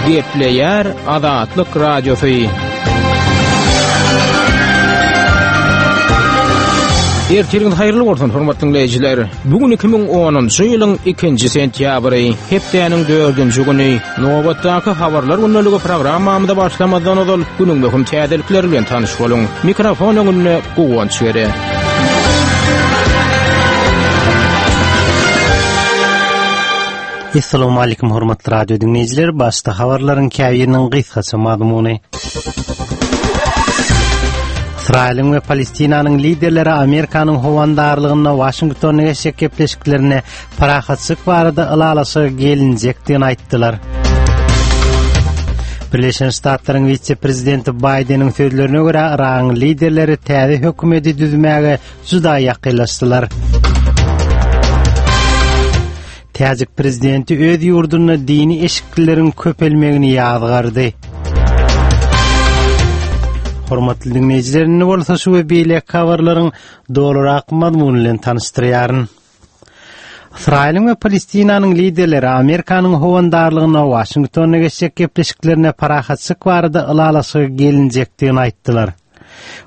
Gepleýär Azatlyk Radiosy. Ertiriňiz haýyrly bolsun, hormatly diňleýjiler. Bu gün 2010-njy ýylyň 2-nji sentýabry, hepdäniň 4-nji güni. Nobatdaky habarlar gündeligi programmamyza başlamazdan ozal günüň möhüm täzelikleri bilen tanyş boluň. Mikrofon öňünde Guwanç Gere. Assalamualaikum hormatly radio diňleýjiler. Başda habarlaryň käbiriniň gysgaça mazmuny. Ysraýylyň we Palestinanyň liderleri Amerikanyň howandarlygynda Waşingtonda geçjek gepleşiklerinde parahatçylyk barada ylalaşyga gelinjekdigini aýtdylar. Birleşen Ştatlaryň wise-prezidenti Baýdeniň sözlerine görä, Yragyň liderleri täze hökümeti düzmäge juda ýakynlaşdylar. Täjik prezidenti öz ýurdunda dini eşiklileriň köpelmegini ýazgardy. Hormatly diňleýjiler, indi bolsa şu we beýleki habarlaryň dolurak mazmuny bilen tanyşdyrýaryn. Ysraýylyň we Palestinanyň liderleri Amerikanyň howandarlygynda Waşingtonda geçjek gepleşiklerinde parahatçylyk barada ylalaşyga gelinjekdigini aýtdylar.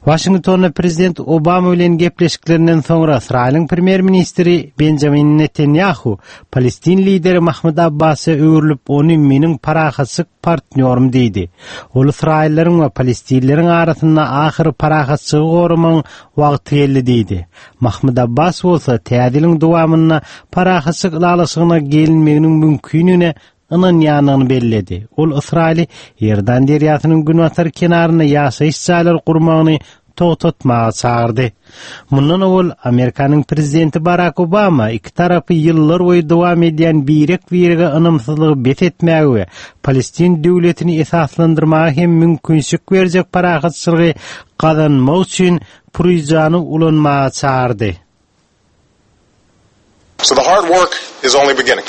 Waşingtonda prezident Obama bilen gepleşiklerinden soňra Ysraýylyň premýer-ministri Benjamin Netanýahu palestin lideri Mahmud Abbasa öwrülip, ony meniň parahatçylyk partnýorym diýdi. Ol ysraýyllaryň we palestinleriň arasynda ahyry parahatçylygy goramagyň wagty geldi diýdi. Mahmud Abbas bolsa täze ýylyň dowamynda parahatçylyk ylalaşygyna gelinmeginiň mümkindigine ynanýandygyny belledi. Ol Ysraýyly Iordan derýasynyň günbatar kenarynda ýaşaýyş jaýlary gurmagyny togtatmaga çagyrdy. Mundan owal Amerikanyň prezidenti Barak Obama iki tarapy ýyllar boýy dowam edýän birek-birege ynamsyzlygy bes etmäge we Palestin döwletini esaslandyrmaga hem mümkinçilik berjek parahatçylygy gazanmak üçin puryjany ulanmaga çagyrdy. So the hard work is only beginning.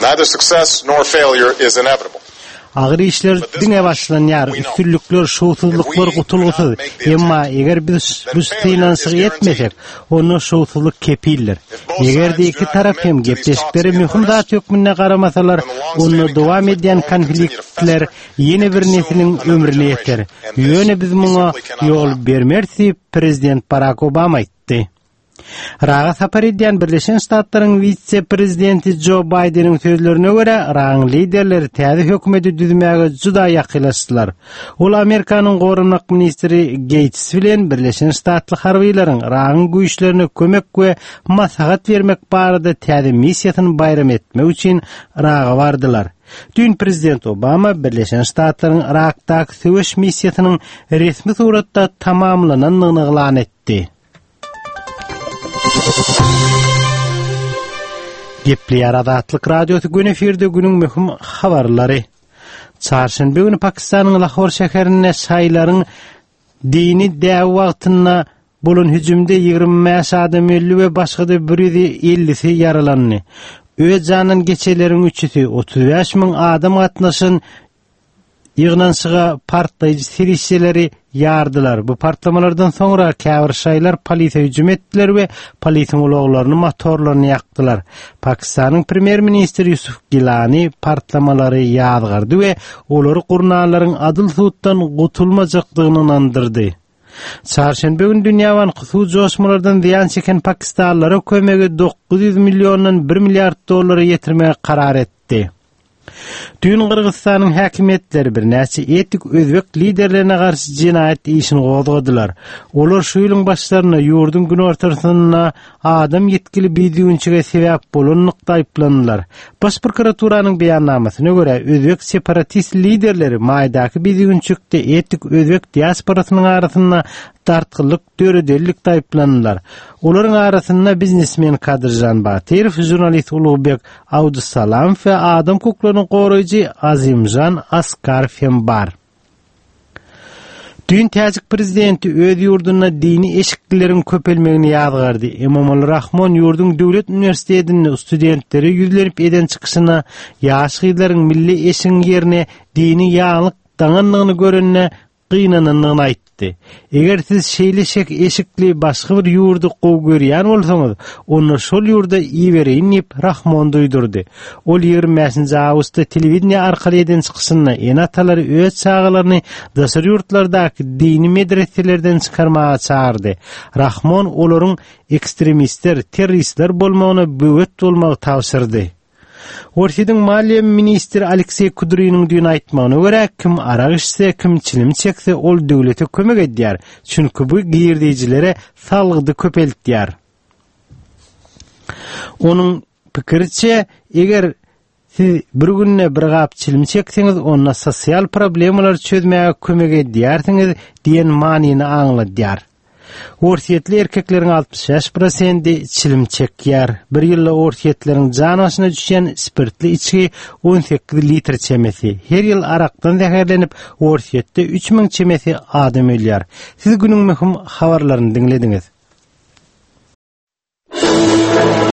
Neither success nor failure is inevitable. Agyr işler diňe başlanýar, üstünlikler, şowsuzlyklar gutulgysyz. Emma eger biz bu synanyşygy etmesek, onda şowsuzlyk kepildir. Eger-de iki tarap hem gepleşiklere möhüm zat hökmünde garamasalar, onda dowam edýän konfliktler ýene bir nesliň ömrüne ýeter. Ýöne biz muňa ýol bermeris diýip, prezident Barak Obama aýtdy. Yraga sapar edýän Birleşen Ştatlaryň wise-prezidenti Jo Baýdeniň sözlerine görä, Yragyň liderleri täze hökümeti düzmäge juda ýakynlaşdylar. Ol Amerikanyň goranmak ministri Geýts bilen Birleşen Ştatly harbylaryň Yragyň güýçlerine kömek we maslahat bermek barada täze missiýasyny baýram etmek üçin Yraga bardylar. Düýn prezident Obama Birleşen Ştatlaryň Yrakdaky söweş missiýasynyň resmi suratda tamamlanandygyny yglan etdi. Gepleýär Azatlyk Radiosy gün efirde günüň möhüm habarlary. Çarşenbe güni Pakistanyň Lahor şäherinde şaýlaryň dini däbi wagtynda bolan hüjümde 25 adam öldi we başga-da 150-si ýaralandy. Öz janyndan geçenleriň üçüsi 35 müň adam gatnaşan Ýygnanyşyga partlaýjy serişdeleri ýardylar. Bu partlamalardan soňra käbir şaýlar polise hüjüm etdiler we polisiň ulaglaryny, motorlaryny ýakdylar. Pakistanyň premýer-ministri Ýusuf Gilani partlamalary ýazgardy we olary gurnanlaryň adyl suddan gutulmajakdygyny ynandyrdy. Çarşenbe güni Dünýä banky suw joşmalardan zyýan çeken pakistanlylara kömegi 900 milliondan 1 milliard dollara ýetirmegi karar etdi. Düýn Gyrgyzystanyň häkimiýetleri birnäçe etnik özbek liderlerine garşy jenaýat işini gozgadylar. Olar şu ýylyň başlarynda ýurduň günortasynda adam ýitgili bidüwünçige sebäp bolanlykda aýyplandylar. Baş prokuraturanyň beýannamasyna görä, özbek separatist liderleri maýdaky bidüwünçikde etnik özbek diasporasynyň arasynda dartgynlyk döredenlikde aýyplandylar. Olaryň arasynda biznesmen Kadyrjan Batyrow, žurnalist Ulugbek Abdusalamow we adam hukuklaryny goraýjy Azimjan Askarow hem bar. Düýn täjik prezidenti öz ýurdunda dini eşiklileriň köpelmegini ýazgardy. Emomali Rahmon ýurduň döwlet uniwersitetinde studentlere ýüzlenip eden çykyşynda ýaş gyzlaryň milli eşigiň ýerine dini ýaglyk daňandygyny görende gynanandygyny aýtdy. aýtdy. Eger siz şeýle şek eşikli başga bir ýurdy gowy görýän bolsaňyz, onda şol ýurda ibereýin diýip, Rahmon duýdurdy. Ol 25-nji awgustda telewideniýe arkaly eden çykyşynda ene-atalary öz çagalaryny daşary ýurtlardaky dini medreselerden çykarmaga çagyrdy. Rahmon olaryň ekstremistler, terroristler bolmagyna böwet bolmagy tabşyrdy. Orsýetiň maliýe ministri Alekseý Kudriniň düýn aýtmagyna görä, kim arak içse, kim çilim çekse, ol döwlete kömek edýär, çünki bu girdejilere salgydy köpeltýär. Onuň pikiriçe, eger siz bir günde bir gap çilim çekseňiz, onda sosial problemalary çözmäge kömek edýärsiňiz diýen manyny aňladýar. Orsýetli erkekleriň 65 prosendi çilim çekýär. Bir ýylda orsýetleriň jan başyna düşýän spirtli içgi 18 litr çemesi. Her ýyl arakdan zäherlenip, Orsýetde 3000 çemesi adam ölýär. Siz günüň möhüm habarlaryny diňlediňiz.